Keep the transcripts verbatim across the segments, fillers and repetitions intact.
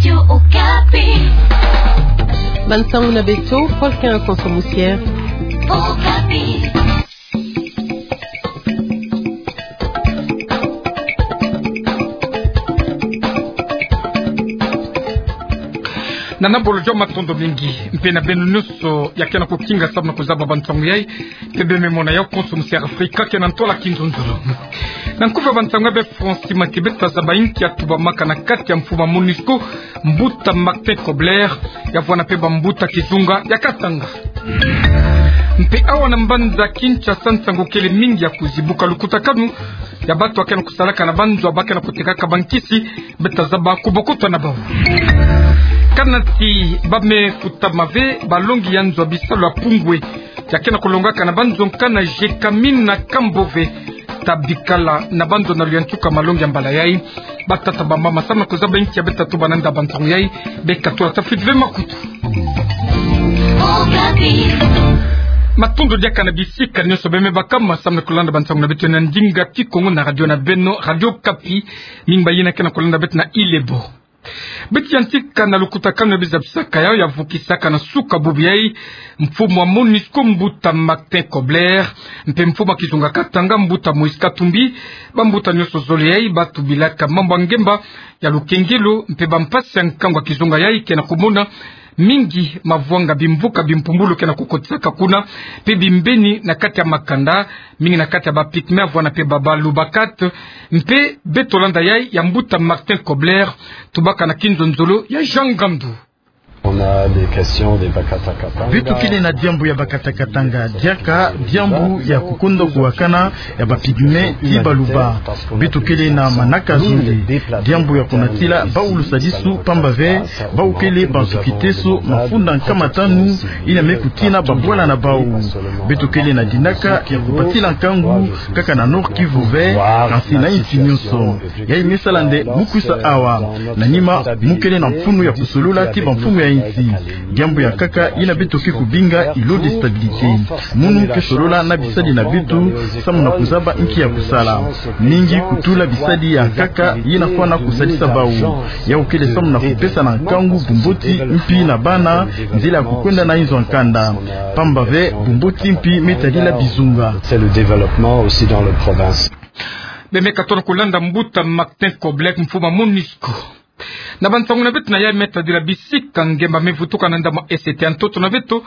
Radio Okapi. Bansangu na beto, Paul Quinze Konso Moussière. Okapi. Nana bolo joma matondo mingi, mpe na beno nyonso ya ke na kukinga samu na kuzaba bansangu yai, mpe beno me mona yau Konso Moussière Afrika ke na ntola kinzonzolo. Na nkufi ya bansangu yai, be Francis Matibe, ta zaba inki ya tubamaka na kati ya mfumu ya MONUSCO, mbuta Martin Kobler, ya vwanda mpe bambuta kizunga ya Katanga. Mpe awa na mbanza Kinshasa, nsangu kele mingi ya kuzibuka lukutakanu ya bato ya ke na kusalaka na banzo ya ba ke na kutekaka bankisi, be ta zaba kubokoto na bau. Kana ti ba me kutama ve balongi ya nzo ya bisalu ya Pungwe, ya ke na kulongaka na banzo nkana Gécamines na Cambove, ta bikala na banzo na luyantika malongi ya mbala yai. Batata, bamama, samu na kuzaba inki ya be ta tuba na nda bansangu yai, be katula ta fwiti ve makutu. Matondo diaka na bisika nyonso be me bakama samu na kulanda bansangu na beto na ndinga Kikongo na radio na beno, Radio Okapi. Mingi ba yina ke na kulanda beto na Ile Ebo. Beto yantika na lukutakanu ya bizabisaka yau ya vukisaka na suka bubu yai mfumu ya MONUSCO, mbuta Martin Kobler, mpe mfumu ya kizunga Katanga, mbuta Moïse Katumbi. Bambuta nyonso zole yai ba tubilaka mambu ya ngemba, ya lukengelo, mpe bampasi ya nkangu ya kizunga yai ke na kumona mingi mavwanga, bimvuka, bimpumbulu ke na kukotisaka kuna, mpe bimbeni na kati ya makanda, mingi na kati ya ba Pygmées, vwanda mpe ba Baluba Kat. Mpe beto landa yai ya mbuta Martin Kobler, tubaka na kinzonzolo ya Jean Ngandu. On a des questions des Bakata Katanga. Beto kele na diambu ya Bakata Katanga, diaka diambu ya kukonda kuwakana ya ba Pygmées ti Baluba. Beto kele na manaka zole. Diambu ya kunatila bawu lusadisu, pamba ve bawu kele bansukiteso mafunda nkama tanu yina me kutina babwala na bawu. Beto kele na dinaka ya kubatila nkangu kaka na Nord-Kivu ve, kansi na insi nyonso. Yai me sala nde mu kwisa awa. Na nima, mu kele na mfunu ya kusolola ti bamfumu ya insi. Diambu ya nkaka yina beto ke kubinga îlot de stabilité. Munu ke solola na bisadi na beto samu na kuzaba nki ya kusala. Mingi kutula bisadi ya nkaka yina fwana kusadisa bawu. Yau kele samu na kupesa na nkangu bumboti mpi na bana, nzila ya kukwenda na inzo ya nkanda. Pamba ve bumboti mpi me tadila bizunga. C'est le développement aussi dans le province. Be me katona kulanda mbuta Martin Kobler, mfumu ya MONUSCO. Na bansangu na beto na yai, me tadila bisika ngemba me vutuka na ndambu ya Est ya ntoto na beto,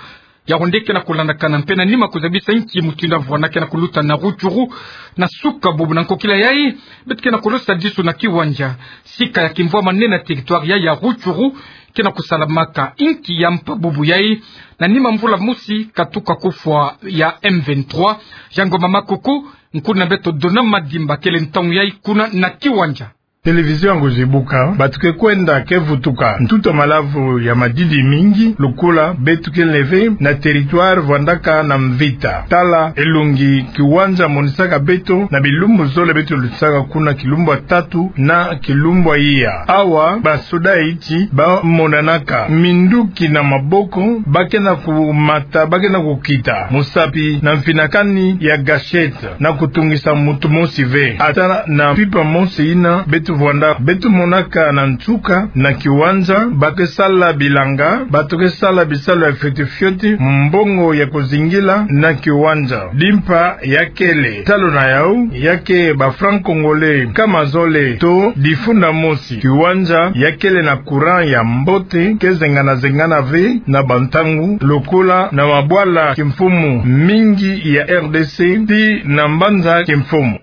ya onde ke na kulandakana mpe na nima kuzabisa nki mutindu ya vwanda ke na kuluta na Rutshuru. Na suka bubu na nkokila yai, beto ke na kulosa disu na Kiwanja, sika ya kimvwama nene na territoire ya, ya Rutshuru, ke na kusalamaka. Inki ya mpa bubu yai, na nima mvula mosi katuka kufwa ya M vingt-trois. Jean Ngoma Makoko, nkulu na beto Dona Madimba kele ntangu yai kuna na Kiwanja. Télévision ya kuzibuka, bato ke kwenda ke vutuka ntutu ya malavu ya madidi mingi, lokola beto kele ve na territoire vwandaka na mvita. Tala elongi Kiwanja monisaka beto na bilumbu zole beto lutisaka kuna, kilumbu ya tatu na kilumbu ya iya. Awa, basoda ya insi ba monanaka, minduki na maboko, ba ke na kumata, ba ke na kukita, mosapi na mfinakani ya gâchette, na kutungisa moto mosi ve. Ata na mpimpa mosi yina beto vwanda, beto monaka na nsuka na Kiwanja, ba ke sala bilanga, bato ke sala bisalu ya fioti fioti, mbongo ya kuzingila na Kiwanja. Limpa ya kele, talo na yau, ya ke ba francs congolais nkama zole to difunda mosi. Kiwanja ya kele na courant ya mbote, ke zengana-zengana ve na bantangu, lokola na mabwala kimfumu mingi ya R D C, ti na mbanza kimfumu.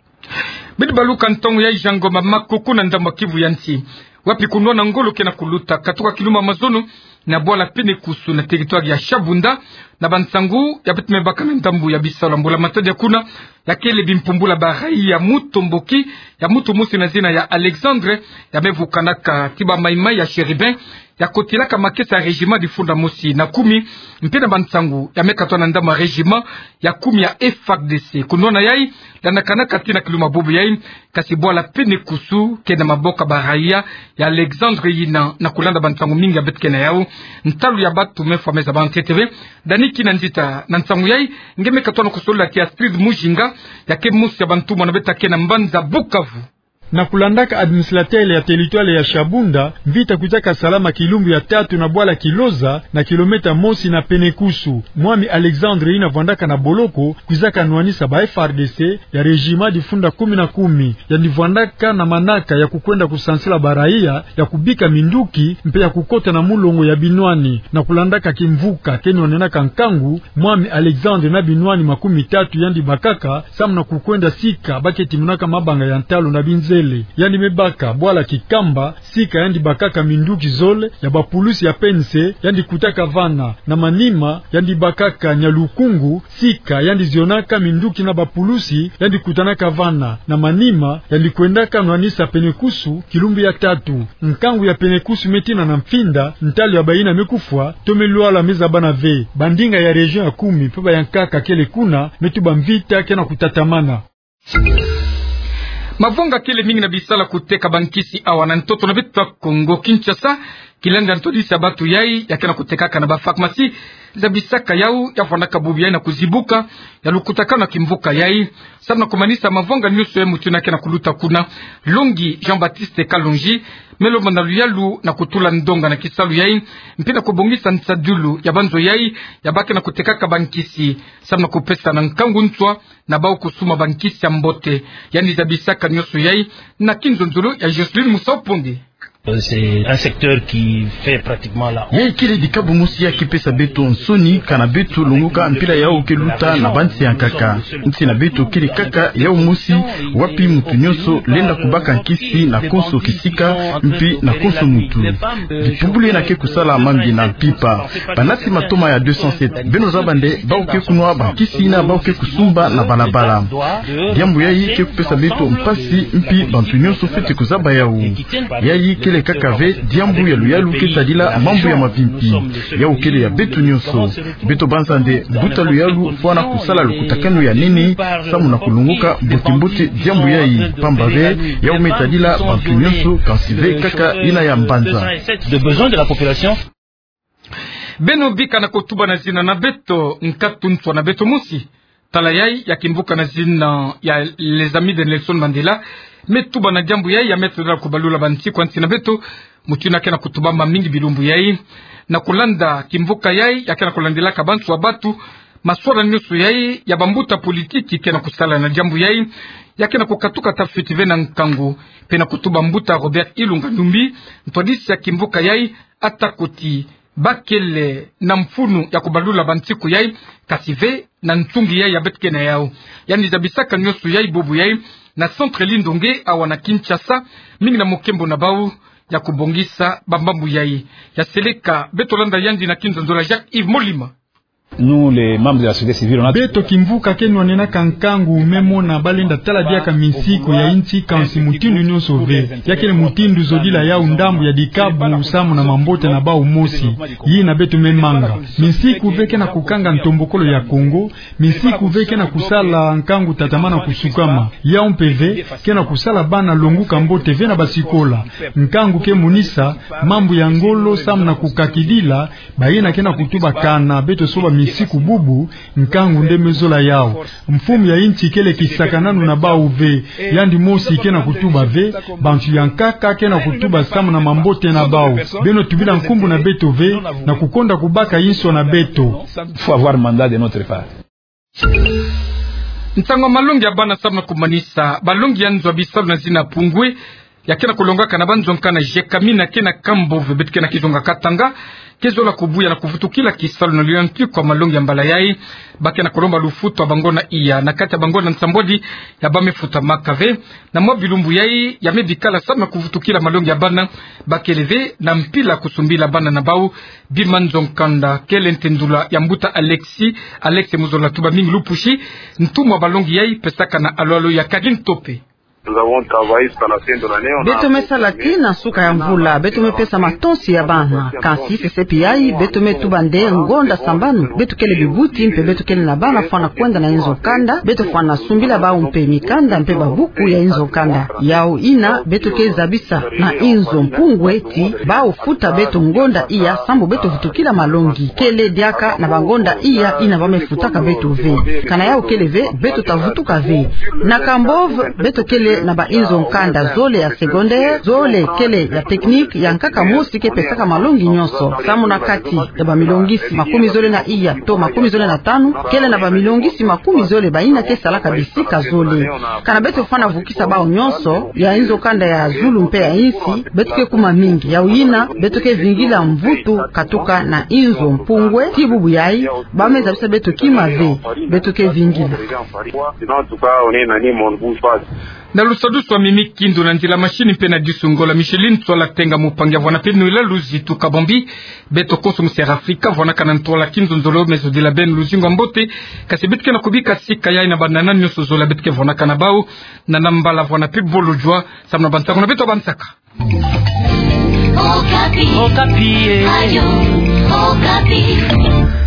Beto baluka ntangu yai, Jean Ngoma Makoko, na ndambu ya Kivu ya nsi, wapi kunwana ngolo ke na kuluta katuka kilumbu ya mazono na bwala Penekusu na territoire ya Shabunda. Na bansangu ya beto me baka na ndambu ya bisalu ya mbula-matadi ya kuna, ya kele bimpumbulu ya ba raïs ya mutomboki, ya moto mosi na zina ya Alexandre, ya me vukanaka ti ba Maïmaï ya Chérubin, ya kotilaka makesa ya régiment difunda mosi na kumi, mpe na bansangu ya me katwa na ndambu ya régiment ya kumi ya F A R D C. Kunwana yai, landakanaka tii na kilumbu ya bubu yai, kasi bwala Penekusu ke na maboko ya ba raïs ya Alexandre yina. Na kulanda bansangu mingi ya beto ke na yau, ntalu ya bato me fwa me zaba ntete ve. Dani Kina Nzita na nsangu yai. Nge me katwa na kusolola ti Astrid Mujinga, ya ke mosi ya bantumwa na beto ya ke na mbanza Bukavu. Na kulandaka administrateur ya territoire ya Shabunda, mvita kwizaka salama kilumbu ya tatu na bwala Kiloza, na kilomètre mosi na Penekusu. Mwami Alexandre yina vwandaka na boloko, kwizaka nwanisa ba F A R D C ya régiment difunda kumi na kumi, yandi vwandaka na manaka ya kukwenda kusansila baraya ya kubika minduki, mpe ya kukota na mulongo ya binwani. Na kulandaka kimvuka ke nwanenaka nkangu, mwami Alexandre na binwani makumi tatu yandi bakaka, samu na kukwenda sika ba ke timonaka mabanga ya ntalu na binzele. Yandi me baka bwala Kikamba, sika yandi bakaka minduki zole ya ba pulusi ya P N C yandi kutaka vana. Na manima, yandi bakaka Nyalukungu, sika yandi zionaka minduki na ba pulusi yandi kutanaka vana. Na manima, yandi kwendaka nwanisa Penekusu kilumbu ya tatu. Nkangu ya Penekusu me tina na mfinda, ntalu ya bayina me kufwa, to me lwala me zabana ve. Bandinga ya région ya kumi mpe ba yankaka kele kuna, me tuba mvita ke na kutatamana. Mavonga kele mingi na bisala kuteka bankisi awa na ntoto na beto ya Kongo Kinshasa, kilenda ntwadisi ya bantu yai ya ke na kutekaka na ba pharmacie zabisaka yau ya vwandaka bubu yai na kuzibuka ya lukutakanu ya kimvuka yai. Samu na kumanisa mavonga nyonso yai, mutu yina ke na kuluta kuna, Longi Jean-Baptiste Kalonji, me lomba na luyalu na kutula ndonga na kisalu yai, mpe na kubongisa nsadilu ya banzo yai ya ba ke na kutekaka bankisi, samu na kupesa na nkangu nswa na bau kusuma bankisi ya mbote. Yandi zabisaka nyonso yai na kinzonzolo ya Jocelyn Musau Ponde. Euh, c'est un secteur qui fait pratiquement la honte. Yai kele dikabu mosi ya ke pesa beto nsoni, kana beto longoka mpila yau ke luta na bansi ya nkaka. Nsi na beto kele kaka yau mosi, wapi mutu nyonso lenda kubaka nkisi na konso kisika, mpe na konso mutu. Dipumbulu yina ke kusala mambi na mpimpa. Banati matoma ya deux cent sept, beno zaba nde bau ke kunwa bankisi yina bau ke kusumba na balabala. Diambu yai ke kupesa beto mpasi, mpe bantu nyonso fwete kuzaba yau. Yai kele kaka ve diambu ya luyalu ke tadila mambu ya mavimpi. Yau kele ya beto nyonso. Beto banza nde buta luyalu fwana kusala lukutakanu ya nene, samu na kulongoka mbote-mbote diambu yai. Pamba ve, yau me tadila bantu nyonso, kansi ve kaka yina ya mbanza. De besoin de la population. Beno bika na kutuba na zina na beto, nkatu nswa na beto mosi. Tala yai ya kimvuka na zina ya Les Amis de Nelson Mandela me tuba na diambu yai ya me tadila kubalula bansiku ya nsi na beto. Mutu yina ke na kutubama mingi bilumbu yai. Na kulanda kimvuka yai ya ke na kulandilaka bantu ya bantu, maswala nyonso yai ya bambuta politiki ke na kusala na diambu yai, ya ke na kukatuka tafiti ve na nkangu. Mpe na kutuba mbuta Robert Ilunga Numbi, ntwadisi ya kimvuka yai, ata kuti ba kele na mfunu ya kubalula bansiku yai, kansi ve na nsungi yai ya beto ke na yau. Yandi zabisaka nyonso yai bubu yai na Centre Lindonge awa na Kinshasa, mingi na mukembo na bau ya kubongisa bamambu yai. Ya seleka, beto landa yandi na kinzonzolo ya Jacques Yves Molima. Nous, les membres de la société civile, on a... Beto kimvuka ke nwanenaka nkangu me mona balenda tala diaka minsiku ya nsi, kansi mutindu nyonso ve. Ya kele mutindu zodila yau ndambu ya dikabu samu na mambote na bau mosi. Yina beto me manga. Minsiku ve ke na kukanga ntombokolo ya Kongo. Minsiku ve ke na kusala nkangu tatamana kusukama. Yau mpe ve ke na kusala bana longuka mbote ve na basikola. Nkangu ke monisa mambu ya ngolo samu na kukakidila bayina ke na kutuba kana beto soba minsiku bubu, nkangu nde me zola yau. Mfumu ya nsi kele kisakananu na bau ve, yandi mosi ke na kutuba ve, bantu ya nkaka ke na kutuba samu na mambote na bau. Beno tubila nkumbu na beto ve, na kukonda kubaka inso na beto. Faut avoir mandat de notre part. Nsangu ya malongi ya bana samu na kumanisa balongi ya nzo ya bisalu na zina Pungwe, ya ke na kulongaka na banzo nkanda Jekamina ke na Kambove, beto ke na kizonga Katanga, ke zola kubuya na kuvutukila kisalu na liyantiku ya malongi ya mbala yai. Ba ke na kulomba lufutu ya bangonda iya na kati ya bangonda nsambwadi ya ba me futamaka ve. Na mwa bilumbu yai ya me bikala samu na kuvutukila malongi ya bana, ba kele ve na mpila kusumbila bana na bau bima nzo nkanda. Kele ntendula ya mbuta Alexis, Alex mu zola tuba mingi lupusi, ntumwa balongi yai pesaka na alwalo ya Kagin Tope. Nous avons travaillé jusqu'à la fin de l'année, on a... Beto me sala tii na nsuka ya mvula, beto me pesa matonsi ya bana. Kansi sesepi yai, beto me tuba nde ngonda sambanu beto kele bibuti, mpe beto kele na bana fwana kwenda na inzo nkanda, beto fwana sumbila bau mpe mikanda mpe babuku ya inzo nkanda. Yau yina beto ke zabisa na inzo Mpungwe ti bau futa beto ngonda iya sambu beto vutukila malongi. Kele diaka na bangonda iya yina ba me futaka beto ve. Kana yau kele ve, beto ta vutuka ve. Na Kambove, beto kele na bainzo nkanda zole ya secondaire, zole kele ya technique, ya nkaka mosi ke pesaka malongi nyonso. Samu na kati ya bamilongisi makumi zole na iya to makumi zole na tanu, kele na bamilongisi makumi zole bayina ke salaka bisika zole. Kana beto fwana vukisa bau nyonso, ya inzo nkanda ya zulu mpe ya insi, beto ke kuma mingi. Yau yina, beto ke vingila mvutu katuka na inzo mpungwe, ti bubu yayi, bame zabisa beto kima ve, beto ke vingila. Na lusadusu wa mimi kindo na nzila mashini mpe na disu ngola Micheline Ntsoala Tenga, mupangi ya vwana peno ila luzitu kabambi. Beto konso mu Sierra Africa, vwanakana ntwala kindo nzolo, meso dila beno luzingu wa mbote, kasi beto ke na kubika sika yayi na banana nyonso zola beto ke vwanakana bau, na namba la vwana pe bolo jua, samu na bansaku na beto bansaka. Okapi. Okapi, eh. Ayo, Okapi.